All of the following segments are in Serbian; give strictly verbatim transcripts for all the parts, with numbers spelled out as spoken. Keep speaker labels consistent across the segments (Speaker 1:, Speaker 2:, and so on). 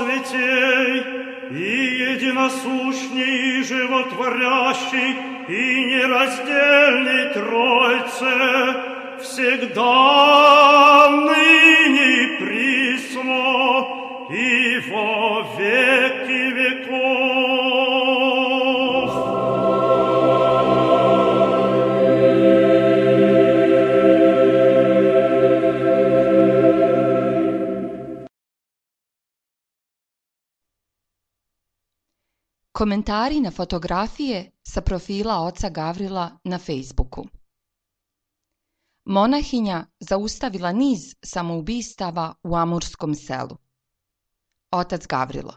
Speaker 1: Святей и единосущный, и животворящий, и нераздельный Тройце, всегда, ныне и присно, и во веки веков.
Speaker 2: Komentari na fotografije sa profila oca Gavrila na Facebooku. Monahinja zaustavila niz samoubistava u Amurskom selu. Otac Gavrilo.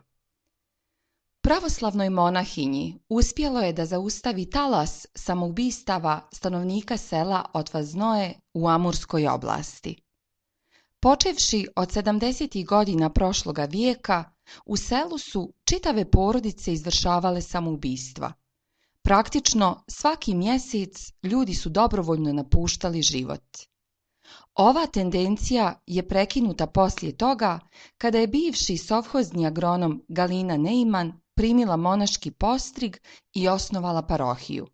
Speaker 2: Pravoslavnoj monahinji uspjelo je da zaustavi talas samoubistava stanovnika sela Otvaznoje u Amurskoj oblasti. Počevši od sedamdesetih godina prošloga vijeka, u selu su čitave porodice izvršavale samoubistva. Praktično svaki mjesec ljudi su dobrovoljno napuštali život. Ova tendencija je prekinuta poslije toga kada je bivši sovhozni agronom Galina Neiman primila monaški postrig i osnovala parohiju.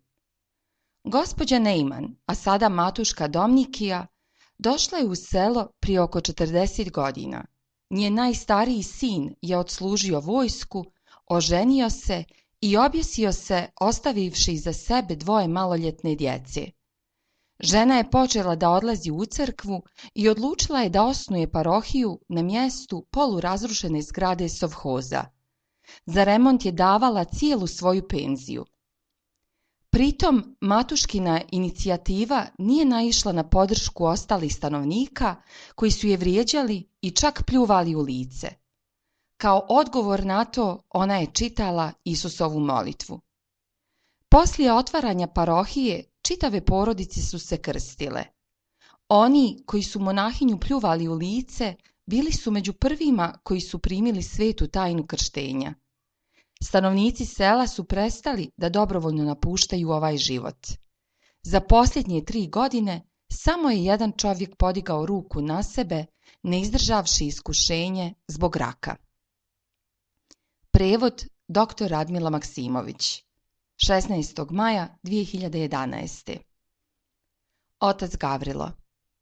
Speaker 2: Gospođa Neiman, a sada matuška Domnikija, došla je u selo prije oko četrdeset godina. Njen najstariji sin je odslužio vojsku, oženio se i objesio se ostavivši iza sebe dvoje maloljetne djece. Žena je počela da odlazi u crkvu i odlučila je da osnuje parohiju na mjestu polurazrušene zgrade sovhoza. Za remont je davala cijelu svoju penziju. Pritom, matuškina inicijativa nije naišla na podršku ostalih stanovnika koji su je vrijeđali i čak pljuvali u lice. Kao odgovor na to, ona je čitala Isusovu molitvu. Poslije otvaranja parohije, čitave porodice su se krstile. Oni koji su monahinju pljuvali u lice bili su među prvima koji su primili svetu tajnu krštenja. Stanovnici sela su prestali da dobrovoljno napuštaju ovaj život. Za posljednje tri godine samo je jedan čovjek podigao ruku na sebe, ne izdržavši iskušenje zbog raka. Prevod doktor Radmila Maksimović, šesnaestog maja dvije hiljade jedanaeste. Otac Gavrilo.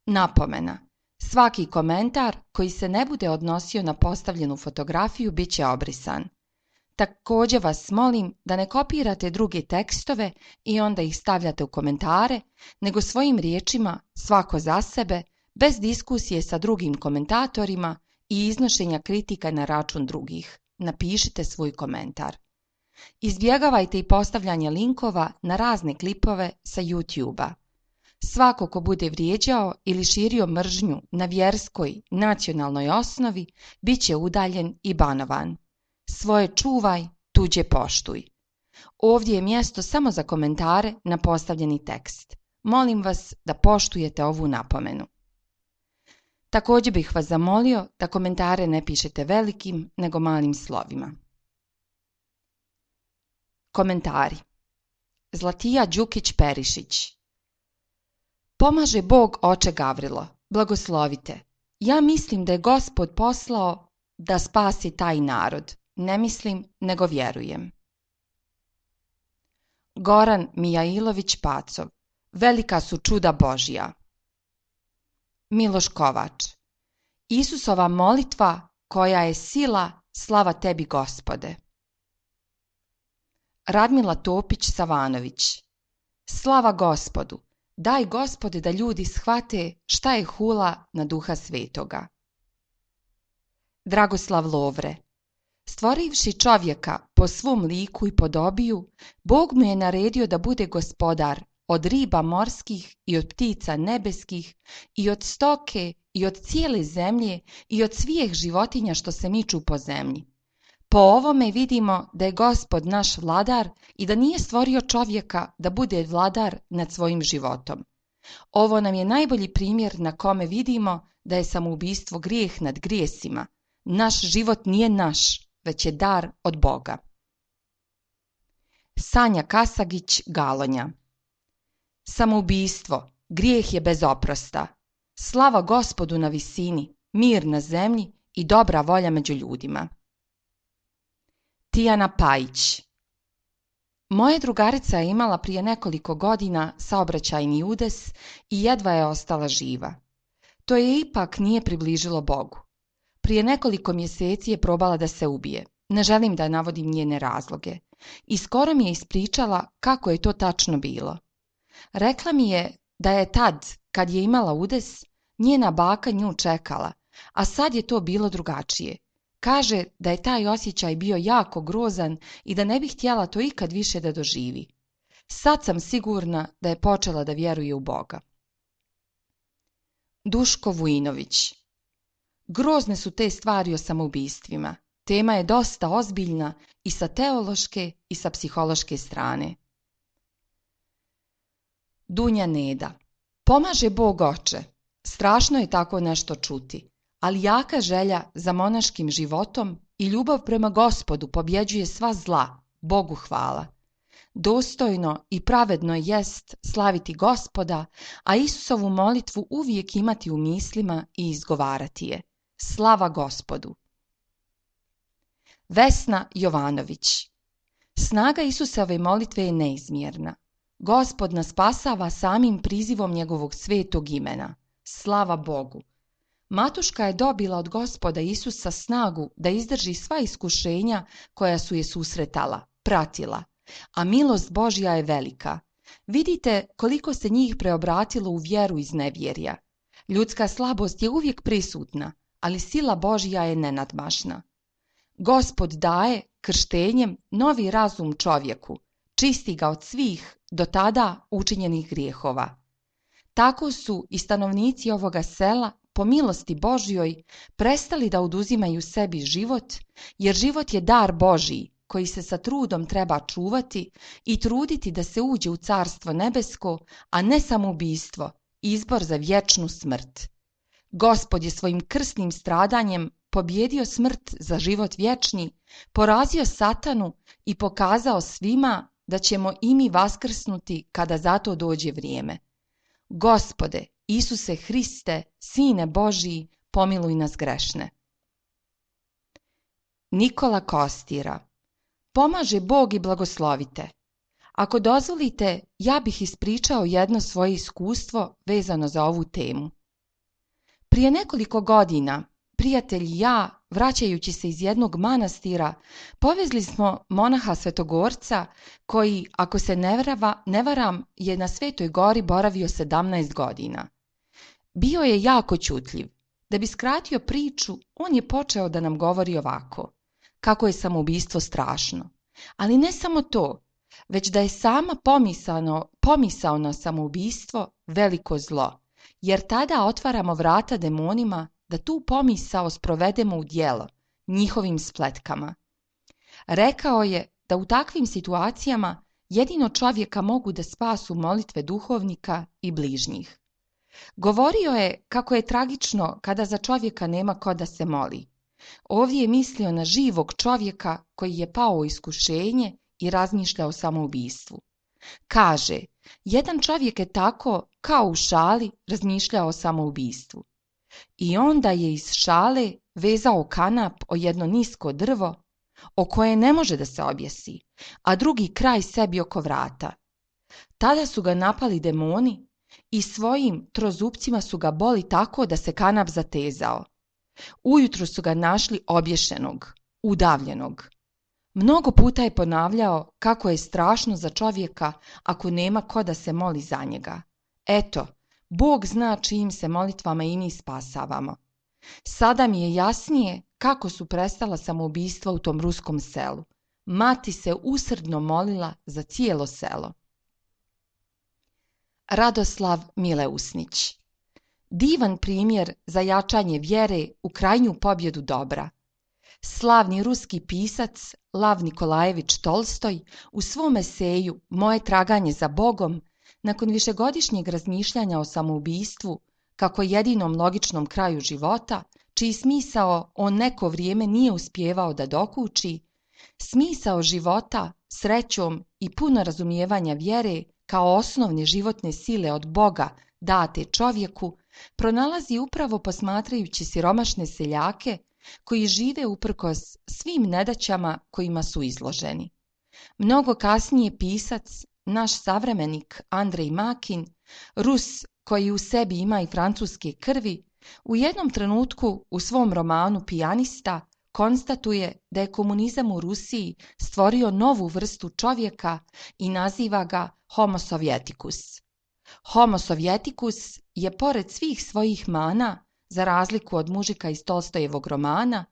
Speaker 2: Napomena. Svaki komentar koji se ne bude odnosio na postavljenu fotografiju bit će obrisan. Također vas molim da ne kopirate druge tekstove i onda ih stavljate u komentare, nego svojim riječima, svako za sebe, bez diskusije sa drugim komentatorima i iznošenja kritika na račun drugih. Napišite svoj komentar. Izbjegavajte i postavljanje linkova na razne klipove sa YouTube-a. Svako ko bude vrijeđao ili širio mržnju na vjerskoj, nacionalnoj osnovi, bit će udaljen i banovan. Svoje čuvaj, tuđe poštuj. Ovdje je mjesto samo za komentare na postavljeni tekst. Molim vas da poštujete ovu napomenu. Također bih vas zamolio da komentare ne pišete velikim, nego malim slovima. Komentari. Zlatija Đukić-Perišić. Pomaže Bog, oče Gavrilo, blagoslovite. Ja mislim da je Gospod poslao da spasi taj narod. Ne mislim, nego vjerujem. Goran Mijailović-Pacov. Velika su čuda Božja. Miloš Kovač. Isusova molitva koja je sila, slava tebi Gospode. Radmila Topić-Savanović. Slava Gospodu. Daj Gospode da ljudi shvate šta je hula na Duha Svetoga. Dragoslav Lovre. Stvorivši čovjeka po svom liku i podobiju, Bog mu je naredio da bude gospodar od riba morskih i od ptica nebeskih i od stoke i od cijele zemlje i od svih životinja što se miču po zemlji. Po ovome vidimo da je Gospod naš vladar i da nije stvorio čovjeka da bude vladar nad svojim životom. Ovo nam je najbolji primjer na kome vidimo da je samoubistvo grijeh nad grijesima. Naš život nije naš, već je dar od Boga. Sanja Kasagić, Galonja. Samoubistvo, grijeh je bez oprosta. Slava Gospodu na visini, mir na zemlji i dobra volja među ljudima. Tijana Pajić. Moja drugarica je imala prije nekoliko godina saobraćajni udes i jedva je ostala živa. To je ipak nije približilo Bogu. Prije nekoliko mjeseci je probala da se ubije. Ne želim da navodim njene razloge. I skoro mi je ispričala kako je to tačno bilo. Rekla mi je da je tad, kad je imala udes, njena baka nju čekala, a sad je to bilo drugačije. Kaže da je taj osjećaj bio jako grozan i da ne bi htjela to ikad više da doživi. Sad sam sigurna da je počela da vjeruje u Boga. Duško Vujinović. Grozne su te stvari o samoubistvima. Tema je dosta ozbiljna i sa teološke i sa psihološke strane. Dunja Neda. Pomaže Bog oče. Strašno je tako nešto čuti, ali jaka želja za monaškim životom i ljubav prema Gospodu pobjeđuje sva zla, Bogu hvala. Dostojno i pravedno jest slaviti Gospoda, a Isusovu molitvu uvijek imati u mislima i izgovarati je. Slava Gospodu. Vesna Jovanović. Snaga Isusove molitve je neizmjerna. Gospod nas spasava samim prizivom njegovog svetog imena. Slava Bogu. Matuška je dobila od Gospoda Isusa snagu da izdrži sva iskušenja koja su je susretala, pratila, a milost Božja je velika. Vidite koliko se njih preobratilo u vjeru iz nevjerja. Ljudska slabost je uvijek prisutna, ali sila Božja je nenadmašna. Gospod daje krštenjem novi razum čovjeku, čisti ga od svih do tada učinjenih grijehova. Tako su i stanovnici ovoga sela, po milosti Božjoj, prestali da oduzimaju sebi život, jer život je dar Božji, koji se sa trudom treba čuvati i truditi da se uđe u carstvo nebesko, a ne samoubistvo, izbor za vječnu smrt. Gospod je svojim krsnim stradanjem pobjedio smrt za život vječni, porazio satanu i pokazao svima da ćemo i mi vaskrsnuti kada za to dođe vrijeme. Gospode, Isuse Hriste, Sine Božji, pomiluj nas grešne. Nikola Kostira. Pomaže Bog i blagoslovite. Ako dozvolite, ja bih ispričao jedno svoje iskustvo vezano za ovu temu. Prije nekoliko godina, prijatelj i ja, vraćajući se iz jednog manastira, povezli smo monaha Svetogorca koji, ako se ne, vrava, ne varam, je na Svetoj gori boravio sedamnaest godina. Bio je jako ćutljiv. Da bi skratio priču, on je počeo da nam govori ovako, kako je samoubistvo strašno. Ali ne samo to, već da je sama pomisano, pomisao na samoubistvo veliko zlo, jer tada otvaramo vrata demonima da tu pomisao sprovedemo u djelo, njihovim spletkama. Rekao je da u takvim situacijama jedino čovjeka mogu da spasu molitve duhovnika i bližnjih. Govorio je kako je tragično kada za čovjeka nema ko da se moli. Ovdje je mislio na živog čovjeka koji je pao u iskušenje i razmišlja o samoubistvu. Kaže, jedan čovjek je tako, kao u šali, razmišljao o samoubistvu. I onda je iz šale vezao kanap o jedno nisko drvo, o koje ne može da se objesi, a drugi kraj sebi oko vrata. Tada su ga napali demoni i svojim trozupcima su ga boli tako da se kanap zatezao. Ujutro su ga našli obješenog, udavljenog. Mnogo puta je ponavljao kako je strašno za čovjeka ako nema ko da se moli za njega. Eto, Bog zna čijim se molitvama i mi spasavamo. Sada mi je jasnije kako su prestala samoubistva u tom ruskom selu. Mati se usrdno molila za cijelo selo. Radoslav Mileusnić. Divan primjer za jačanje vjere u krajnju pobjedu dobra. Slavni ruski pisac Lav Nikolajević Tolstoj u svom eseju Moje traganje za Bogom, nakon višegodišnjeg razmišljanja o samoubistvu, kako jedinom logičnom kraju života, čiji smisao on neko vrijeme nije uspijevao da dokuči, smisao života, srećom i puno razumijevanja vjere kao osnovne životne sile od Boga date čovjeku, pronalazi upravo posmatrajući siromašne seljake koji žive uprkos svim nedaćama kojima su izloženi. Mnogo kasnije pisac, naš savremenik Andrej Makin, Rus koji u sebi ima i francuske krvi, u jednom trenutku u svom romanu Pijanista konstatuje da je komunizam u Rusiji stvorio novu vrstu čovjeka i naziva ga Homo Sovjeticus. Homo Sovjeticus je pored svih svojih mana, za razliku od mužika iz Tolstojevog romana,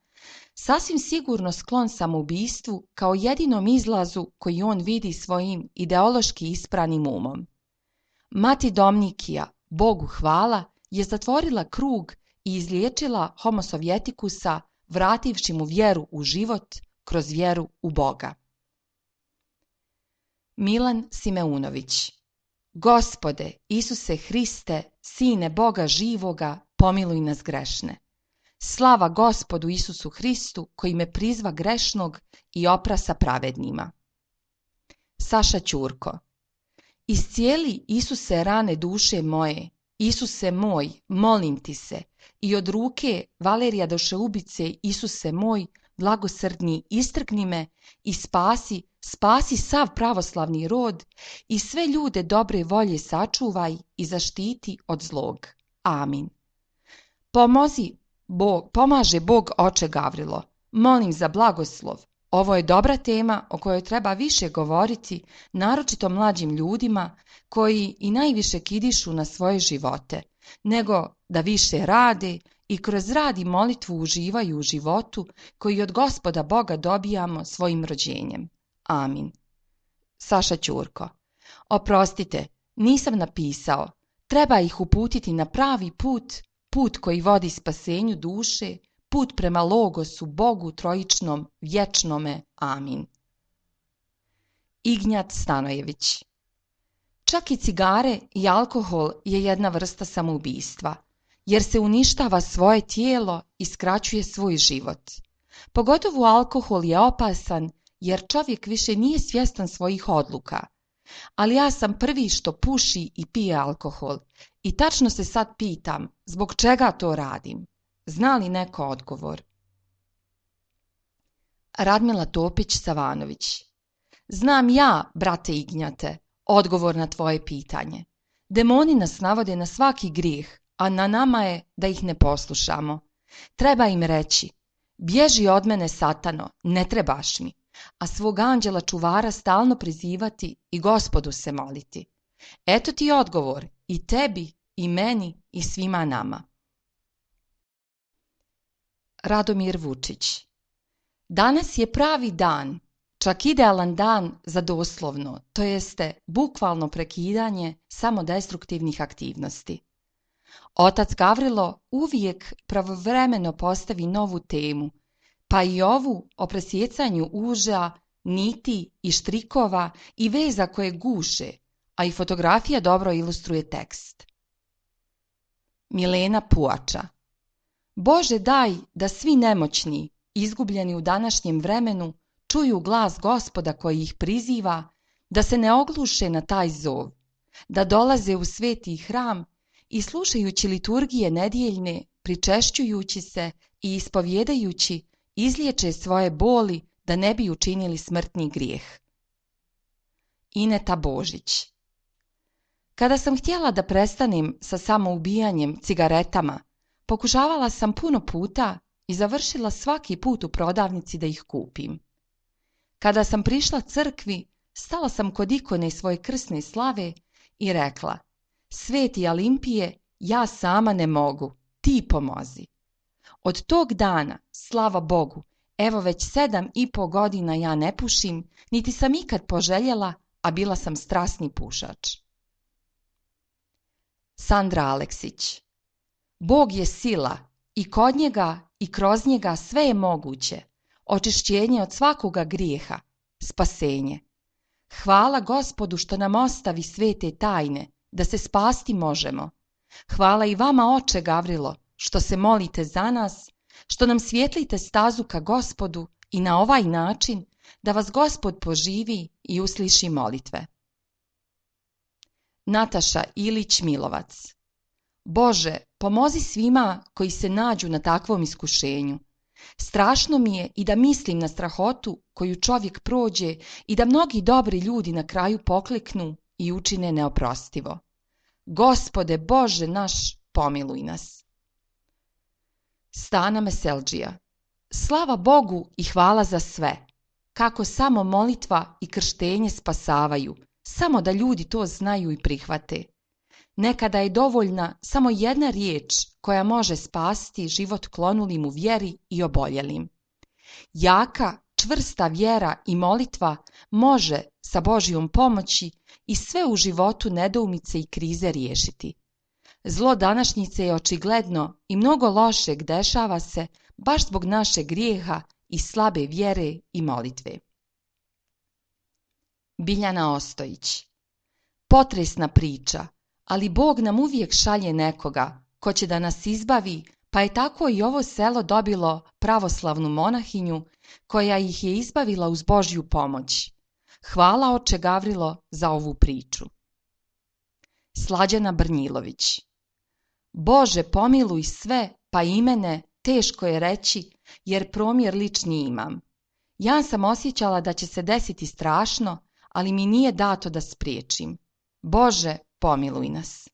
Speaker 2: sasvim sigurno sklon samoubistvu kao jedinom izlazu koji on vidi svojim ideološki ispranim umom. Mati Domnikija, Bogu hvala, je zatvorila krug i izliječila Homo Sovjeticusa, vrativši mu vjeru u život kroz vjeru u Boga. Milan Simeunović. Gospode Isuse Hriste, Sine Boga živoga, pomiluj nas grešne. Slava Gospodu Isusu Hristu, koji me prizva grešnog i oprasa pravednima. Saša Ćurko. Iscijeli Isuse rane duše moje, Isuse moj, molim ti se, i od ruke Valerija Dušeubice, Isuse moj, blagosrdni, istrgni me i spasi, spasi sav pravoslavni rod i sve ljude dobre volje sačuvaj i zaštiti od zlog. Amin. Pomozi Bog, pomaže Bog oče Gavrilo. Molim za blagoslov. Ovo je dobra tema o kojoj treba više govoriti, naročito mlađim ljudima koji i najviše kidišu na svoje živote, nego da više rade i kroz rad i molitvu uživaju u životu koji od Gospoda Boga dobijamo svojim rođenjem. Amin. Saša Ćurko. Oprostite, nisam napisao. Treba ih uputiti na pravi put, put koji vodi spasenju duše, put prema Logosu, Bogu trojičnom, vječnome. Amin. Ignjat Stanojević. Čak i cigare i alkohol je jedna vrsta samoubistva, jer se uništava svoje tijelo i skraćuje svoj život. Pogotovo alkohol je opasan, jer čovjek više nije svjestan svojih odluka. Ali ja sam prvi što puši i pije alkohol i tačno se sad pitam zbog čega to radim. Zna li neko odgovor? Radmila Topić-Savanović. Znam ja, brate Ignjate, odgovor na tvoje pitanje. Demoni nas navode na svaki grijeh, a na nama je da ih ne poslušamo. Treba im reći, bježi od mene satano, ne trebaš mi, a svog anđela čuvara stalno prizivati i Gospodu se moliti. Eto ti odgovor i tebi, i meni, i svima nama. Radomir Vučić. Danas je pravi dan, čak idealan dan za doslovno, to jeste bukvalno prekidanje samodestruktivnih aktivnosti. Otac Gavrilo uvijek pravovremeno postavi novu temu, pa i ovu o presjecanju uža, niti i štrikova i veza koje guše, a i fotografija dobro ilustruje tekst. Milena Puača. Bože daj da svi nemoćni, izgubljeni u današnjem vremenu, čuju glas Gospoda koji ih priziva, da se ne ogluše na taj zov, da dolaze u sveti hram i slušajući liturgije nedjeljne, pričešćujući se i ispovjedajući, izliječe svoje boli da ne bi učinili smrtni grijeh. Ineta Božić. Kada sam htjela da prestanem sa samoubijanjem cigaretama, pokušavala sam puno puta i završila svaki put u prodavnici da ih kupim. Kada sam prišla crkvi, stala sam kod ikone svoje krsne slave i rekla, Sveti Alimpije, ja sama ne mogu, ti pomozi. Od tog dana, slava Bogu, evo već sedam i po godina ja ne pušim, niti sam ikad poželjela, a bila sam strasni pušač. Sandra Aleksić. Bog je sila i kod njega i kroz njega sve je moguće, očišćenje od svakoga grijeha, spasenje. Hvala Gospodu što nam ostavi svete tajne, da se spasti možemo. Hvala i vama, oče Gavrilo, što se molite za nas, što nam svjetlite stazu ka Gospodu i na ovaj način da vas Gospod poživi i usliši molitve. Nataša Ilić Milovac. Bože, pomozi svima koji se nađu na takvom iskušenju. Strašno mi je i da mislim na strahotu koju čovjek prođe i da mnogi dobri ljudi na kraju pokleknu i učine neoprostivo. Gospode Bože naš, pomiluj nas. Stana Meseldžija. Slava Bogu i hvala za sve. Kako samo molitva i krštenje spasavaju, samo da ljudi to znaju i prihvate. Nekada je dovoljna samo jedna riječ koja može spasiti život klonulim u vjeri i oboljelim. Jaka, čvrsta vjera i molitva može sa Božjom pomoći i sve u životu nedoumice i krize riješiti. Zlo današnjice je očigledno i mnogo lošeg dešava se baš zbog našeg grijeha i slabe vjere i molitve. Biljana Ostojić. Potresna priča, ali Bog nam uvijek šalje nekoga ko će da nas izbavi, pa je tako i ovo selo dobilo pravoslavnu monahinju koja ih je izbavila uz Božju pomoć. Hvala oče Gavrilo za ovu priču. Slađana Brnjilović. Bože, pomiluj sve, pa i mene teško je reći, jer promjer lični imam. Ja sam osjećala da će se desiti strašno, ali mi nije dato da spriječim. Bože, pomiluj nas.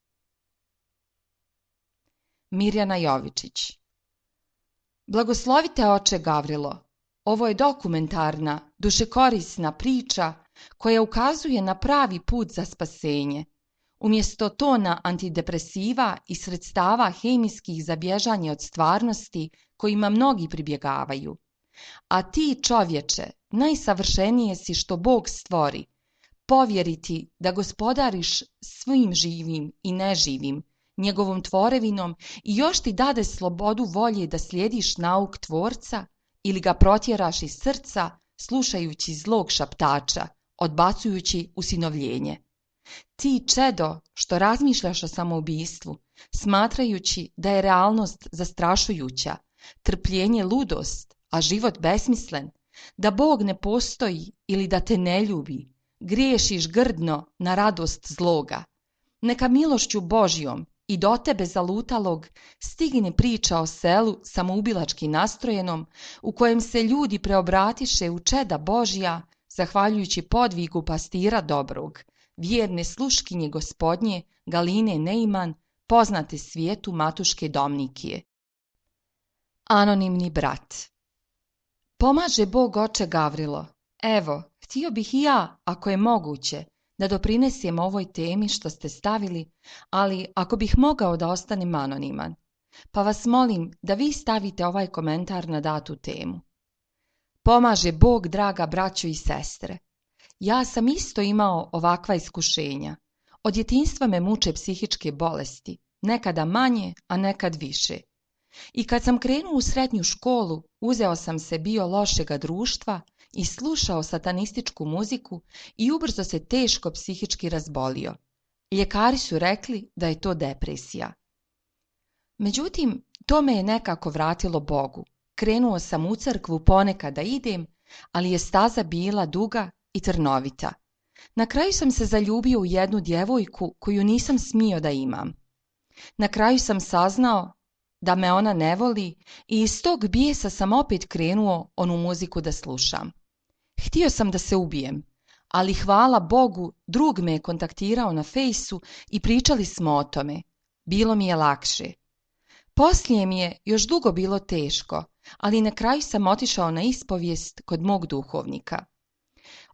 Speaker 2: Mirjana Jovičić. Blagoslovite oče Gavrilo. Ovo je dokumentarna, dušekorisna priča koja ukazuje na pravi put za spasenje. Umjesto tona antidepresiva i sredstava hemijskih za bježanje od stvarnosti kojima mnogi pribjegavaju. A ti, čovječe, najsavršenije si što Bog stvori, povjeriti da gospodariš svim živim i neživim, njegovom tvorevinom i još ti dade slobodu volje da slijediš nauk tvorca ili ga protjeraš iz srca slušajući zlog šaptača, odbacujući usinovljenje. Ti, čedo, što razmišljaš o samoubistvu, smatrajući da je realnost zastrašujuća, trpljenje ludost, a život besmislen, da Bog ne postoji ili da te ne ljubi, griješiš grdno na radost zloga. Neka milošću Božjom i do tebe zalutalog stigne priča o selu samoubilački nastrojenom, u kojem se ljudi preobratiše u čeda Božja, zahvaljujući podvigu pastira dobrog, vjerne sluškinje gospodnje Galine Neiman, poznate svijetu Matuške Domnikije. Anonimni brat. Pomaže Bog oče Gavrilo. Evo, htio bih i ja, ako je moguće, da doprinesem ovoj temi što ste stavili, ali ako bih mogao da ostanem anoniman, pa vas molim da vi stavite ovaj komentar na datu temu. Pomaže Bog, draga braćo i sestre. Ja sam isto imao ovakva iskušenja. Od djetinjstva me muče psihičke bolesti, nekada manje, a nekad više. I kad sam krenuo u srednju školu, uzeo sam se bio lošega društva i slušao satanističku muziku i ubrzo se teško psihički razbolio. Ljekari su rekli da je to depresija. Međutim, to me je nekako vratilo Bogu. Krenuo sam u crkvu ponekad da idem, ali je staza bila duga i trnovita. Na kraju sam se zaljubio u jednu djevojku koju nisam smio da imam. Na kraju sam saznao da me ona ne voli i iz tog bijesa sam opet krenuo onu muziku da slušam. Htio sam da se ubijem, ali hvala Bogu, drug me je kontaktirao na fejsu i pričali smo o tome. Bilo mi je lakše. Poslije mi je još dugo bilo teško, ali na kraju sam otišao na ispovijest kod mog duhovnika.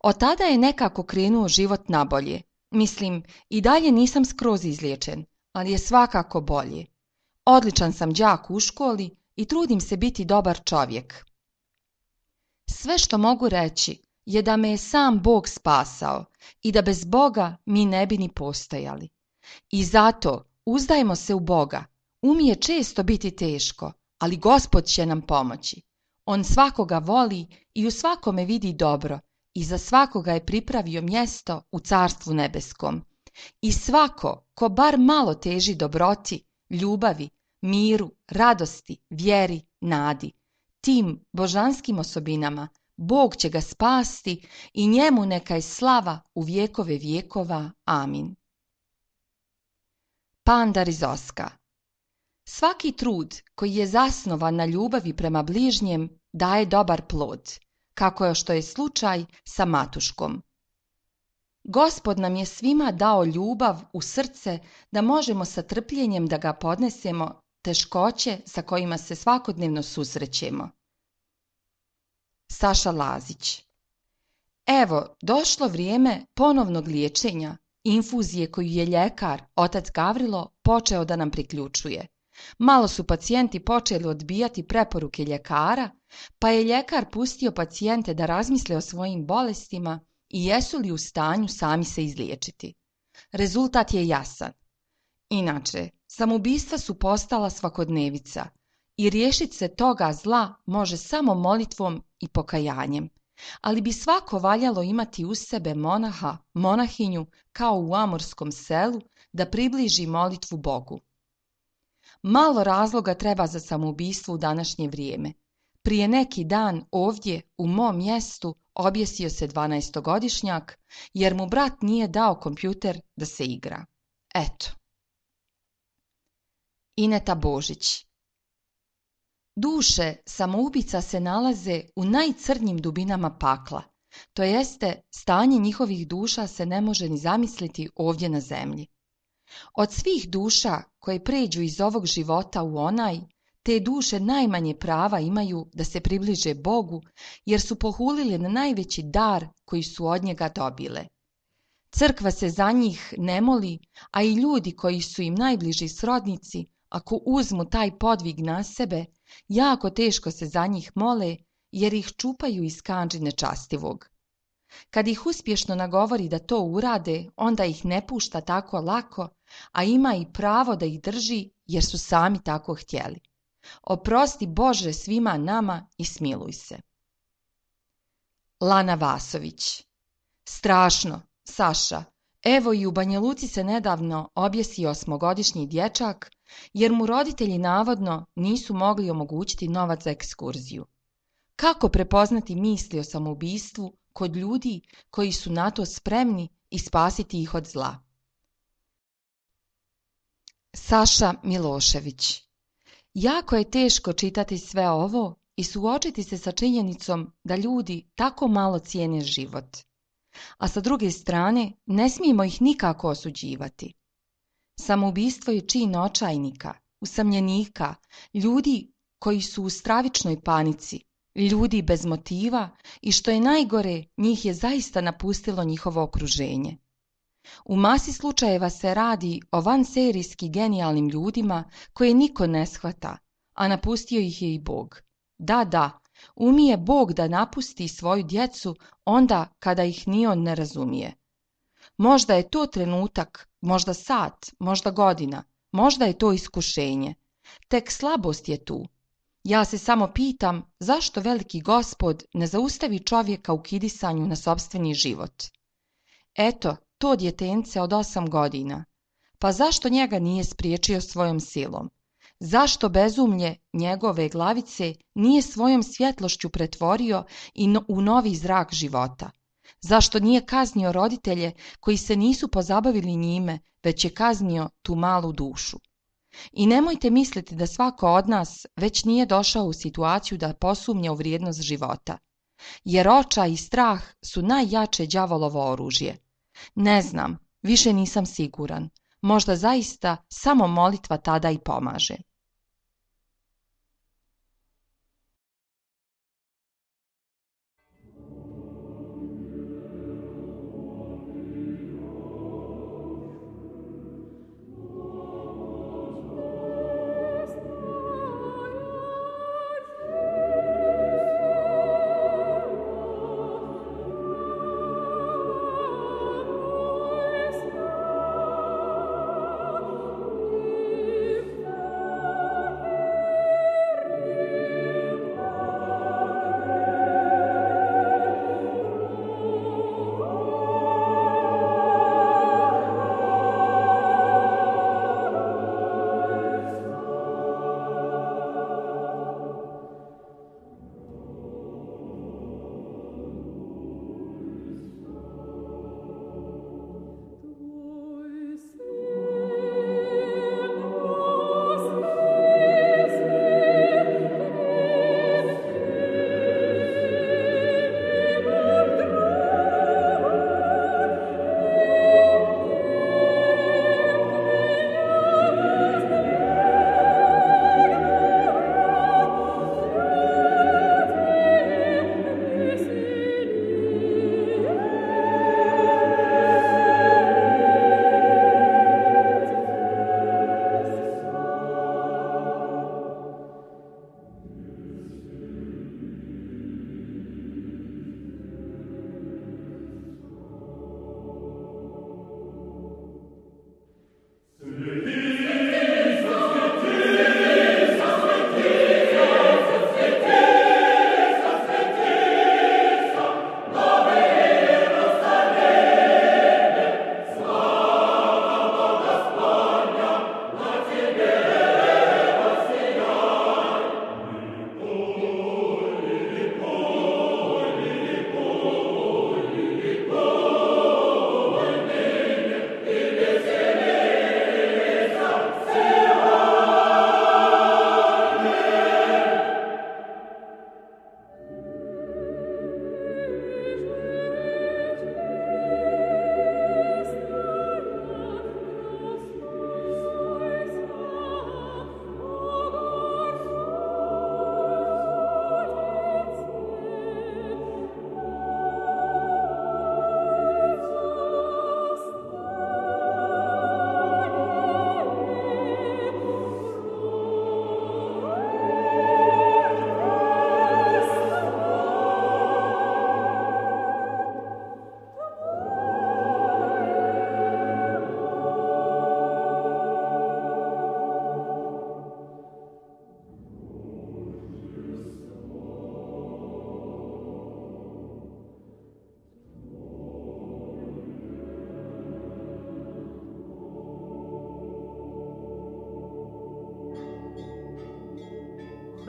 Speaker 2: Od tada je nekako krenuo život nabolje. Mislim, i dalje nisam skroz izliječen, ali je svakako bolje. Odličan sam đak u školi i trudim se biti dobar čovjek. Sve što mogu reći je da me je sam Bog spasao i da bez Boga mi ne bi ni postojali. I zato uzdajmo se u Boga. Umije često biti teško, ali Gospod će nam pomoći. On svakoga voli i u svakome vidi dobro i za svakoga je pripravio mjesto u Carstvu nebeskom. I svako ko bar malo teži dobroti, ljubavi, miru, radosti, vjeri, nadi, tim božanskim osobinama Bog će ga spasti i njemu neka je slava u vjekove vjekova. Amin. Panda Rizoska. Svaki trud koji je zasnovan na ljubavi prema bližnjem daje dobar plod, kako je što je slučaj sa Matuškom. Gospod nam je svima dao ljubav u srce da možemo sa trpljenjem da ga podnesemo teškoće sa kojima se svakodnevno susrećemo. Saša Lazić. Evo, došlo vrijeme ponovnog liječenja, infuzije koju je ljekar, otac Gavrilo, počeo da nam priključuje. Malo su pacijenti počeli odbijati preporuke ljekara, pa je ljekar pustio pacijente da razmisle o svojim bolestima i jesu li u stanju sami se izliječiti. Rezultat je jasan. Inače, samoubistva su postala svakodnevica i riješiti se toga zla može samo molitvom i pokajanjem, ali bi svako valjalo imati uz sebe monaha, monahinju, kao u amorskom selu, da približi molitvu Bogu. Malo razloga treba za samoubistvo u današnje vrijeme. Prije neki dan ovdje, u mom mjestu, objesio se dvanaestogodišnjak, jer mu brat nije dao kompjuter da se igra. Eto. Ineta Božić. Duše samoubica se nalaze u najcrnjim dubinama pakla, to jeste stanje njihovih duša se ne može ni zamisliti ovdje na zemlji. Od svih duša koje pređu iz ovog života u onaj, te duše najmanje prava imaju da se približe Bogu, jer su pohulile na najveći dar koji su od njega dobile. Crkva se za njih ne moli, a i ljudi koji su im najbliži srodnici, ako uzmu taj podvig na sebe, jako teško se za njih mole, jer ih čupaju iz kandži nečastivog. Kad ih uspješno nagovori da to urade, onda ih ne pušta tako lako, a ima i pravo da ih drži jer su sami tako htjeli. Oprosti Bože svima nama i smiluj se. Lana Vasović. Strašno, Saša. Evo i u Banja Luci se nedavno objesio osmogodišnji dječak, jer mu roditelji navodno nisu mogli omogućiti novac za ekskurziju. Kako prepoznati misli o samoubistvu kod ljudi koji su na to spremni i spasiti ih od zla? Saša Milošević. Jako je teško čitati sve ovo i suočiti se sa činjenicom da ljudi tako malo cijene život. A sa druge strane, ne smijemo ih nikako osuđivati. Samoubistvo je čin očajnika, usamljenika, ljudi koji su u stravičnoj panici, ljudi bez motiva i što je najgore, njih je zaista napustilo njihovo okruženje. U masi slučajeva se radi o vanserijski genijalnim ljudima koje niko ne shvata, a napustio ih je i Bog. Da, da, umije Bog da napusti svoju djecu onda kada ih ni on ne razumije. Možda je to trenutak, možda sat, možda godina, možda je to iskušenje. Tek slabost je tu. Ja se samo pitam zašto veliki Gospod ne zaustavi čovjeka u kidisanju na sopstveni život. Eto, to djetence od osam godina. Pa zašto njega nije spriječio svojom silom? Zašto bezumlje njegove glavice nije svojom svjetlošću pretvorio i no, u novi zrak života? Zašto nije kaznio roditelje koji se nisu pozabavili njime, već je kaznio tu malu dušu? I nemojte misliti da svako od nas već nije došao u situaciju da posumnja u vrijednost života. Jer očaj i strah su najjače đavolovo oružje. Ne znam, više nisam siguran. Možda zaista samo molitva tada i pomaže.
Speaker 3: Oh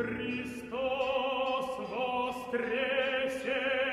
Speaker 1: Христос воскресе!